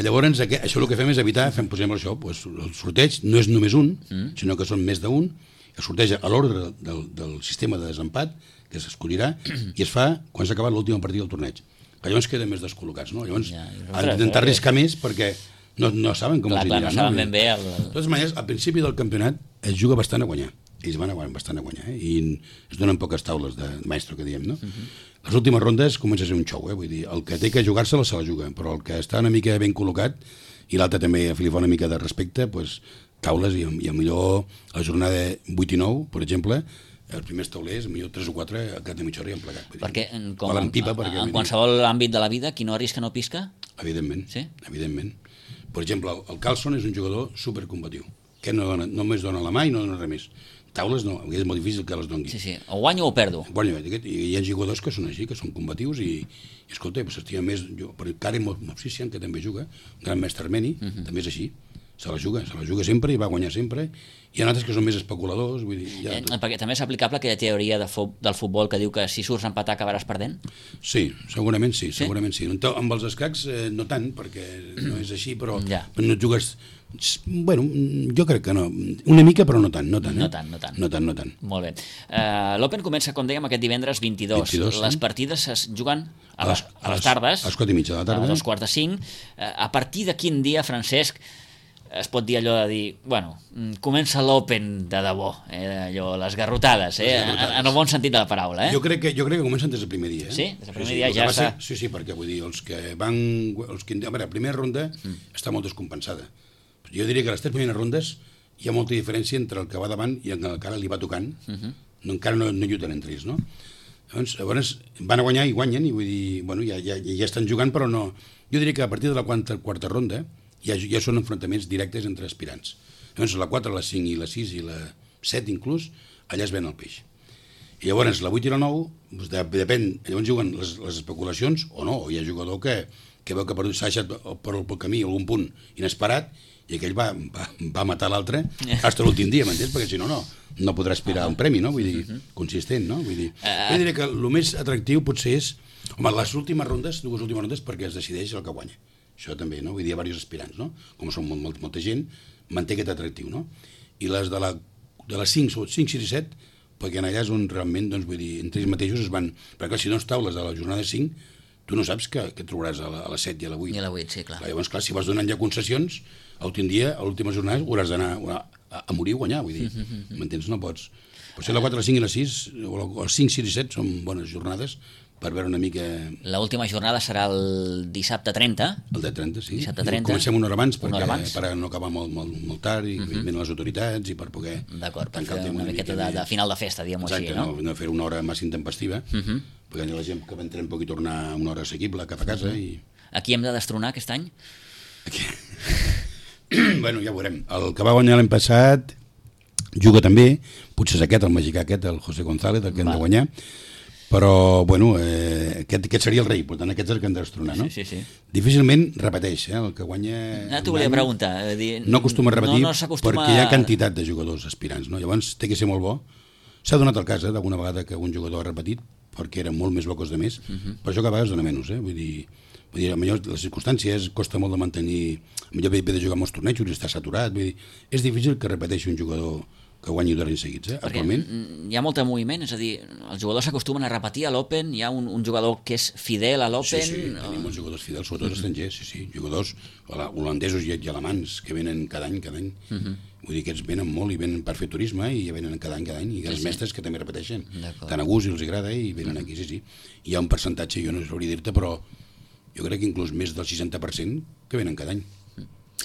Llavors, això el que fem és evitar, posem això, el sorteig no és només un, sinó que són més d'un, es sorteja a l'ordre del sistema de desempat, que s'escollirà, i es fa quan s'ha acabat l'última partida del torneig. Que llavors queden més descol·locats, no? Llavors han d'intentar arriscar més perquè no saben com els anirà. No saben ben bé. De totes maneres, al principi del campionat es juga bastant a guanyar. Ells van bastant a guanyar, i es donen poques taules de maestro, que diem, no? Les últimes rondes comença a ser un show, vull dir, el que té que jugar-se-la se la juga, però el que està una mica ben col·locat, i l'altre també li fa una mica de respecte, taules, i millor a la jornada 8 i 9, per exemple, els primers taulers, millor 3 o 4 a cada mitja hora i han plegat. Perquè, en qualsevol àmbit de la vida, qui no arrisca no pisca? Evidentment, sí? Evidentment. Per exemple, el Carlson és un jugador supercombatiu, que només dona la mà i no dona res més. Taules no, és molt difícil que les doni. Sí, o guanyo o perdo. Guanyo, i hi ha jugadors que són així, que són combatius i escolta, s'estima més, per Karen Movsisyan, que també juga, un gran mestre armeni, també és així, se la juga sempre i va guanyar sempre. Hi ha altres que són més especuladors, vull dir... Perquè també és aplicable aquella teoria del futbol que diu que si surts a empatar acabaràs perdent? Sí, segurament sí. Amb els escacs no tant, perquè no és així, però no et jugues... Bueno, jo crec que no. Una mica, però no tant. No tant. Molt bé. L'Open comença, com dèiem, aquest divendres 22. Les partides es juguen a les tardes. A les 4:30 de la tarda. A les 4:45. A partir de quin dia, Francesc, es pot dir allò de dir, bueno, comença l'Open de debò, allò, les garrotades, en el bon sentit de la paraula, Jo crec que comencen des del primer dia. Sí? Des del primer dia ja està... Sí, perquè vull dir, els que van... A veure, la primera ronda està molt descompensada. Jo diria que a les 3 primeres rondes hi ha molta diferència entre el que va davant i el que encara li va tocant, encara no lluiten entre ells, no? Llavors van a guanyar i guanyen, i vull dir, bueno, ja estan jugant, però no... Jo diria que a partir de la quarta ronda ja són enfrontaments directes entre aspirants. Llavors la 4, la 5 i la 6 i la 7 inclús, allà es ven el peix. I llavors la 8 i la 9, depèn, llavors juguen les especulacions o no, o hi ha jugador que veu que s'ha deixat pel camí algun punt inesperat i aquell va matar l'altre fins a l'últim dia, m'entens? Perquè si no podrà aspirar a un premi, no? Vull dir, consistent, no? Vull dir, jo diria que el més atractiu potser és, home, les últimes rondes, dues últimes rondes, perquè es decideix el que guanya. Això també, no? Vull dir, hi ha diversos aspirants, no? Com són molta gent, manté aquest atractiu, no? I les de les 5, 6 i 7, perquè en allà és on realment, doncs, vull dir, entre ells mateixos es van... Perquè si no es taules a la jornada 5, tu no saps què trobaràs a la 7 i a la 8. I a la 8, sí, clar. Llavors, clar, si vas donant ja concessions, l'últim dia, a l'última jornada, hauràs d'anar a morir o guanyar, vull dir. M'entens? No pots. Potser la 4, la 5 i la 6, o els 5, 6 i 7 són bones jornades per veure una mica... L'última jornada serà el dissabte 30. El de 30, sí. Dissabte 30. Comencem una hora abans per no acabar molt tard i venen les autoritats i per poder... D'acord, per fer una miqueta de final de festa, diguem-ho així, no? Exacte, no fer una hora massa intempestiva, perquè la gent que entrem pugui tornar a una hora assequible cap a casa i... A qui hem de destronar aquest any? Bueno, ja ho veurem. El que va guanyar l'any passat juga també, potser és aquest, el mexicà aquest, el José González, el que hem de guanyar, però, bueno, aquest seria el rei, per tant, aquest és el que hem de destronar, no? Sí. Difícilment repeteix, el que guanya... T'ho volia preguntar. No acostuma a repetir perquè hi ha quantitat de jugadors aspirants, no? Llavors té que ser molt bo. S'ha donat el cas, d'alguna vegada que un jugador ha repetit, perquè era molt més bo que els altres, per això que a vegades dona menys, vull dir, millor les circumstàncies, costa molt de mantenir, millor ve de jugar molts tornejos i està saturat, vull dir, és difícil que repeteixi un jugador que guanyi 2 anys seguits, actualment. Hi ha molt de moviment, és a dir, els jugadors s'acostumen a repetir a l'Open, hi ha un jugador que és fidel a l'Open... Sí, tenim molts jugadors fidels, sobretot estrangers, sí, jugadors holandesos i alemands que venen cada any. Vull dir que aquests venen molt i venen per fer turisme i venen cada any, i els mestres que també repeteixen. Tant a gust i els agrada i venen aquí, sí. Hi ha un percentatge, jo no sabria dir-te, però jo crec que inclús més del 60% que venen cada any.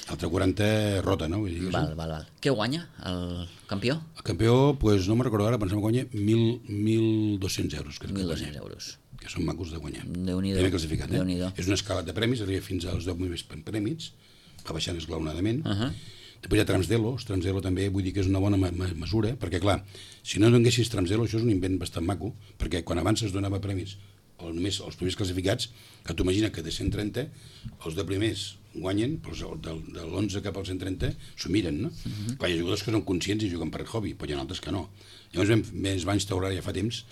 L'altre 40 rota, no? Vull dir, val. Què guanya el campió? El campió, doncs no me'n recordo ara, pensem que guanya 1.200 euros. 1.200 euros. Que són macos de guanyar. Déu-n'hi-do. Primer classificat, És una escala de premis, arriba fins als 10 més premis, va baixant esglaonadament. Després hi ha trams d'elo, els trams d'elo també vull dir que és una bona mesura, perquè clar, si no donguessis trams d'elo, això és un invent bastant maco, perquè quan abans es donava premis o només els primers classificats, que tu imagina que de 130, els de primers guanyen, però de l'11 cap al 130 s'ho miren, no? Clar, hi ha jugadors que són conscients i juguen per hobby, però hi ha altres que no. Llavors es va instaurar ja fa temps,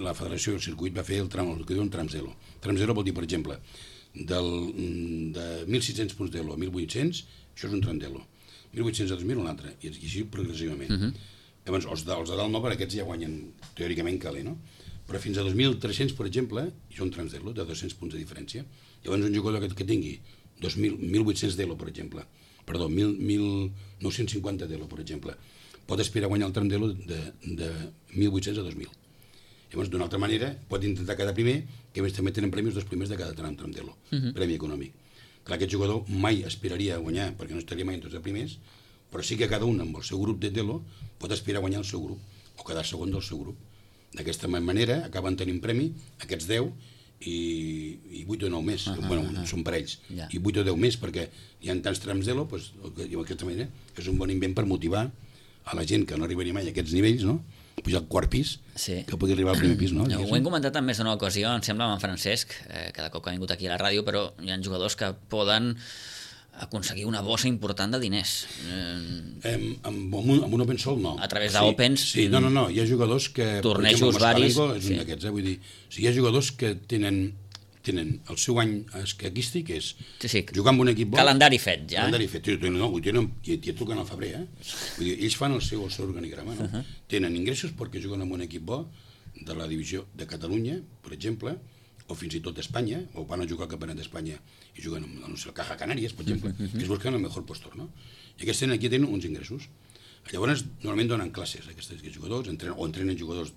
la Federació del Circuit va fer el que diuen trams d'elo. Trams d'elo vol dir, per exemple, de 1.600 punts d'elo a 1.800, això és un tram d'elo. 1.800 a 2.000 un altre, i així progressivament. Llavors, els de dalt no, per aquests ja guanyen teòricament calé, no? Però fins a 2.300, per exemple, hi són trams d'elo, de 200 punts de diferència. Llavors un jugador que tingui 1.800 d'elo, per exemple, perdó, 1.950 d'elo, per exemple, pot aspirar a guanyar el tram d'elo de 1.800 a 2.000. Llavors, d'una altra manera, pot intentar quedar primer, que a més també tenen premis dels primers de cada tram d'elo, premi econòmic. Clar, aquest jugador mai aspiraria a guanyar, perquè no estaria mai entre els primers, però sí que cada un amb el seu grup d'elo pot aspirar a guanyar el seu grup, o quedar segon del seu grup. D'aquesta manera acaben tenint premi aquests 10 i 8 o 9 més, són parells, i 8 o 10 més, perquè hi ha tants trams d'elo, d'aquesta manera és un bon invent per motivar a la gent que no arribaria mai a aquests nivells, no? Pujar al quart pis, que pugui arribar al primer pis, no? Ho hem comentat en més d'una ocasió, em sembla, amb en Francesc, cada cop que ha vingut aquí a la ràdio, però hi ha jugadors que poden aconseguir una bossa important de diners. Amb un Open Sol, no. A través d'Opens... Sí, no, hi ha jugadors que... Tornejos varis... És un d'aquests, vull dir... Hi ha jugadors que tenen el seu any escaquístic, és jugar amb un equip bo... Calendari fet, ja. Calendari fet, no, ja et truquen al febrer, Vull dir, ells fan el seu organigrama, no? Tenen ingressos perquè juguen amb un equip bo de la divisió de Catalunya, per exemple, o fins i tot d'Espanya, o van a jugar al Campionat d'Espanya i juguen amb, no sé, el Caja Canàries, per exemple, que es busquen el millor postor, no? I aquí tenen uns ingressos. Llavors, normalment donen classes a aquests jugadors, entrenen jugadors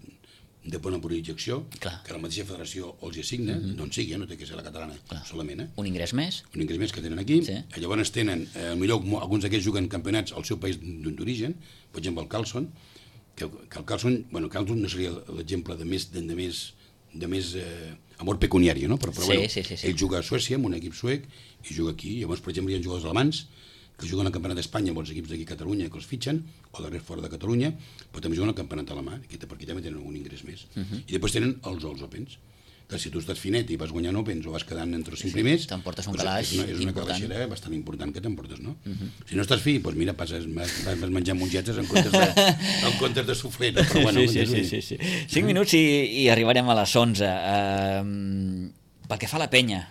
de bona projecció, que la mateixa federació els assigna, d'on sigui, no té que ser la catalana solament. Un ingrés més. Un ingrés més que tenen aquí. Llavors tenen, potser alguns d'aquests juguen campionats al seu país d'origen, per exemple el Carlson, que el Carlson no seria l'exemple de més amor pecuniari, no? Però ell juga a Suècia, amb un equip suec, i juga aquí. Llavors, per exemple, hi ha jugadors alemans que juguen al Campionat d'Espanya amb els equips d'aquí a Catalunya que els fitxen, o de res fora de Catalunya, però també juguen al Campionat alemà, que per aquí també tenen algun ingrés més. I després tenen els Opens, que si tu estàs finet i vas guanyant Opens o vas quedant entre els 5 primers, t'emportes un calaix és una calaixera bastant important que t'emportes, no? Si no estàs fi, doncs mira, vas menjant mongetes en comptes de sufler, no? Però bueno... Sí. 5 minuts i arribarem a les 11. Pel que fa a la penya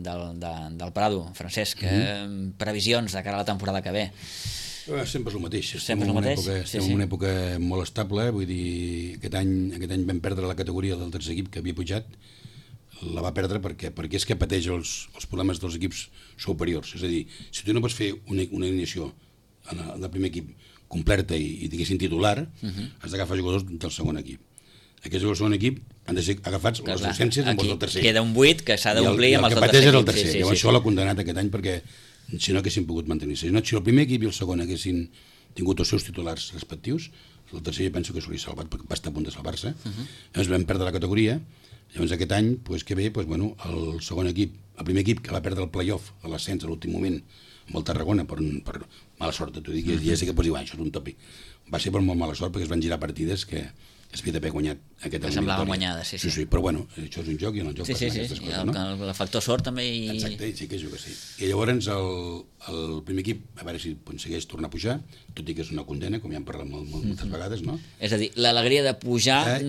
del Prado, Francesc, previsions de cara a la temporada que ve? Sempre és el mateix. Estem en una època molt estable, vull dir, aquest any vam perdre la categoria del tercer equip que havia pujat, la va perdre perquè és que pateix els problemes dels equips superiors. És a dir, si tu no pots fer una iniciació en el primer equip completa i diguéssim titular, has d'agafar jugadors del segon equip. Aquests jugadors del segon equip han de ser agafats les docències amb els del tercer. Queda un buit que s'ha d'omplir amb els del tercer. I el que pateix és el tercer. Llavors això l'ha condemnat aquest any perquè si no haguessin pogut mantenir-se. Si el primer equip i el segon haguessin tingut els seus titulars respectius, el tercer jo penso que s'hauria salvat, perquè va estar a punt de salvar-se. Llavors vam perdre la categoria, llavors aquest any, que ve, el segon equip, el primer equip que va perdre el play-off a l'ascens a l'últim moment, amb el Tarragona, per mala sort, t'ho dic, ja sé que pots dir, això és un tòpic. Va ser per molt mala sort, perquè es van girar partides que es havia d'haver guanyat aquesta eliminatòria. Semblaven guanyades, sí. Però bueno, això és un joc i en el joc passen aquestes coses, no? El factor sort també... Exacte, sí que juga, sí. I llavors el primer equip, a veure si aconsegueix tornar a pujar, tot i que és una condena, com ja hem parlat moltes vegades, no? És a dir, l'alegria de pujar...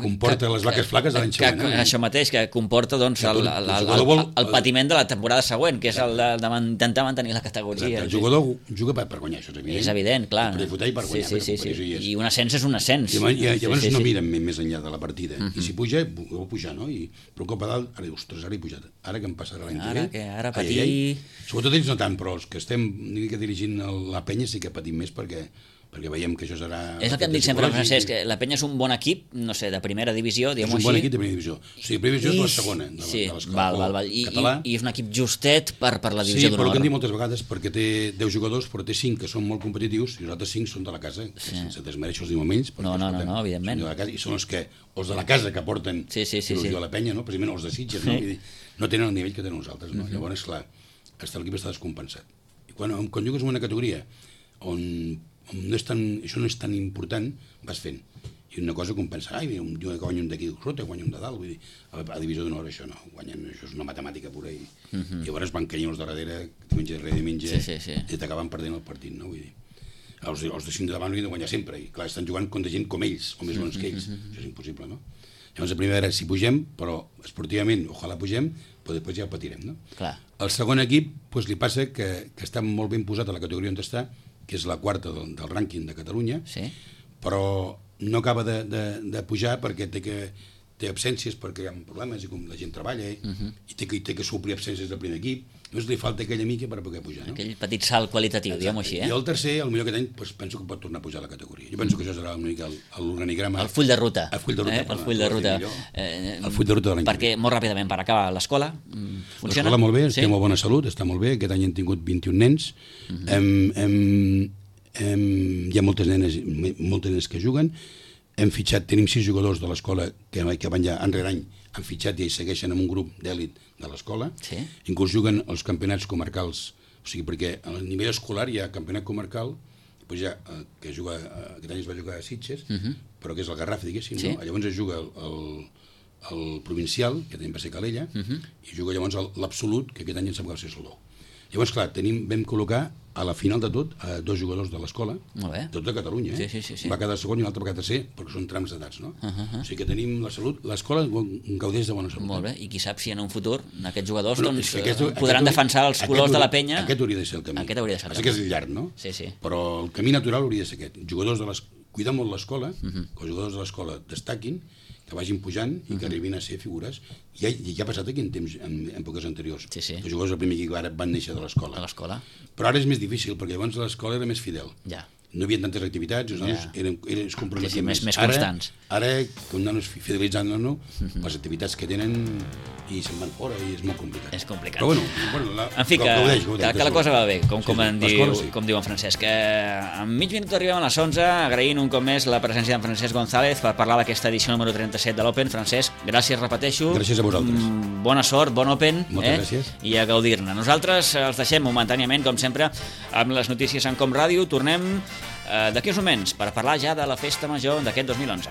comporta les vaques flaques de l'any següent. Això mateix, que comporta el patiment de la temporada següent, que és el d'intentar mantenir la categoria. El jugador juga per guanyar, això és evident. És evident, clar. Per disfrutar i per guanyar. I un ascens és un ascens. I llavors no miren més enllà de la partida. I si puja, vol pujar, no? Però un cop a dalt, ara dius, ostres, ara he pujat. Ara que em passarà l'any que ve. Ara patir... Sobretot ells no tant, però els que estem dirigint la penya sí que patim més perquè veiem que això serà... És el que em dic sempre, Francesc, que la penya és un bon equip, no sé, de primera divisió, diguem-ho així. És un bon equip de primera divisió. O sigui, primera divisió és la segona de l'escola català. I és un equip justet per la divisió d'honor. Sí, però el que hem dit moltes vegades, perquè té 10 jugadors, però té 5 que són molt competitius i els altres 5 són de la casa, sense desmereixer els moments. No, evidentment. I són els de la casa que porten il·lusió a la penya, precisament els de Sitges, no tenen el nivell que tenen nosaltres. Llavors, clar, l'equip està descompensat. quan jugues en una categoria on això no és tan important, vas fent. I una cosa com pensar, mira, que guanya un d'aquí sota, guanya un de dalt, vull dir, a divisió d'honor això no, això és una matemàtica pura i llavors van caient els de darrere, diumenge darrere diumenge, i t'acaben perdent el partit, no? Vull dir, els de 5 de davant havien de guanyar sempre, i clar, estan jugant contra gent com ells, o més bons que ells, això és impossible, no? Llavors, la primera era si pugem, però esportivament, ojalà pugem, però després ja ho patirem, no? Clar. El segon equip, doncs li passa que està molt ben posat a la categoria on està, que és la quarta del rànquing de Catalunya, però no acaba de pujar perquè té absències, perquè hi ha problemes i com la gent treballa i té que suplir absències del primer equip, llavors li falta aquella mica per poder pujar. Aquell petit salt qualitatiu, diguem-ho així. I el tercer, el millor aquest any, penso que pot tornar a pujar a la categoria. Jo penso que això serà una mica l'organigrama. El full de ruta. El full de ruta. El full de ruta. El full de ruta de l'any. Perquè molt ràpidament, per acabar, l'escola funciona? L'escola molt bé, té molt bona salut, està molt bé. Aquest any hem tingut 21 nens. Hi ha moltes nenes que juguen. Hem fitxat, tenim 6 jugadors de l'escola que van ja enrere any, han fitxat i segueixen en un grup d'èlit de l'escola. Inclús juguen els campionats comarcals, o sigui, perquè a nivell escolar hi ha campionat comarcal, que aquest any es va jugar a Sitges, però que és el Garraf, diguéssim, no? Llavors es juga el provincial, que també va ser Calella, i juga llavors l'absolut, que aquest any em sembla que va ser Salou. Llavors, clar, vam col·locar a la final de tot 2 jugadors de l'escola, tots de Catalunya, va quedar segon i l'altre va quedar tercer, perquè són trams d'edats, no? O sigui que tenim la salut, l'escola gaudeix de bona salut. Molt bé, i qui sap si en un futur aquests jugadors podran defensar els colors de la penya. Aquest hauria de ser el camí. Aquest hauria de ser el camí. Que és llarg, no? Però el camí natural hauria de ser aquest. Jugadors cuidar molt l'escola, que els jugadors de l'escola destaquin, que vagin pujant i que arribin a ser figures. Ja ha passat aquí en èpoques anteriors. Els jugadors del primer equip ara van néixer de l'escola. Però ara és més difícil, perquè llavors l'escola era més fidel. No hi havia tantes activitats, els nanos es comprometien més constants. Ara, com nanos fidelitzant el nano, les activitats que tenen i se'n van fora i és molt complicat. És complicat. Però bueno, en fi, que la cosa va bé, com diu en Francesc. En mig minut arribem a les 11, agraint un cop més la presència d'en Francesc González per parlar d'aquesta edició número 37 de l'Open. Francesc, gràcies, repeteixo. Gràcies a vosaltres. Bona sort, bon Open. Moltes gràcies. I a gaudir-ne. Nosaltres els deixem momentàniament, com sempre, amb les notícies en Com Ràdio. Tornem d'aquí uns moments per parlar ja de la festa major d'aquest 2011.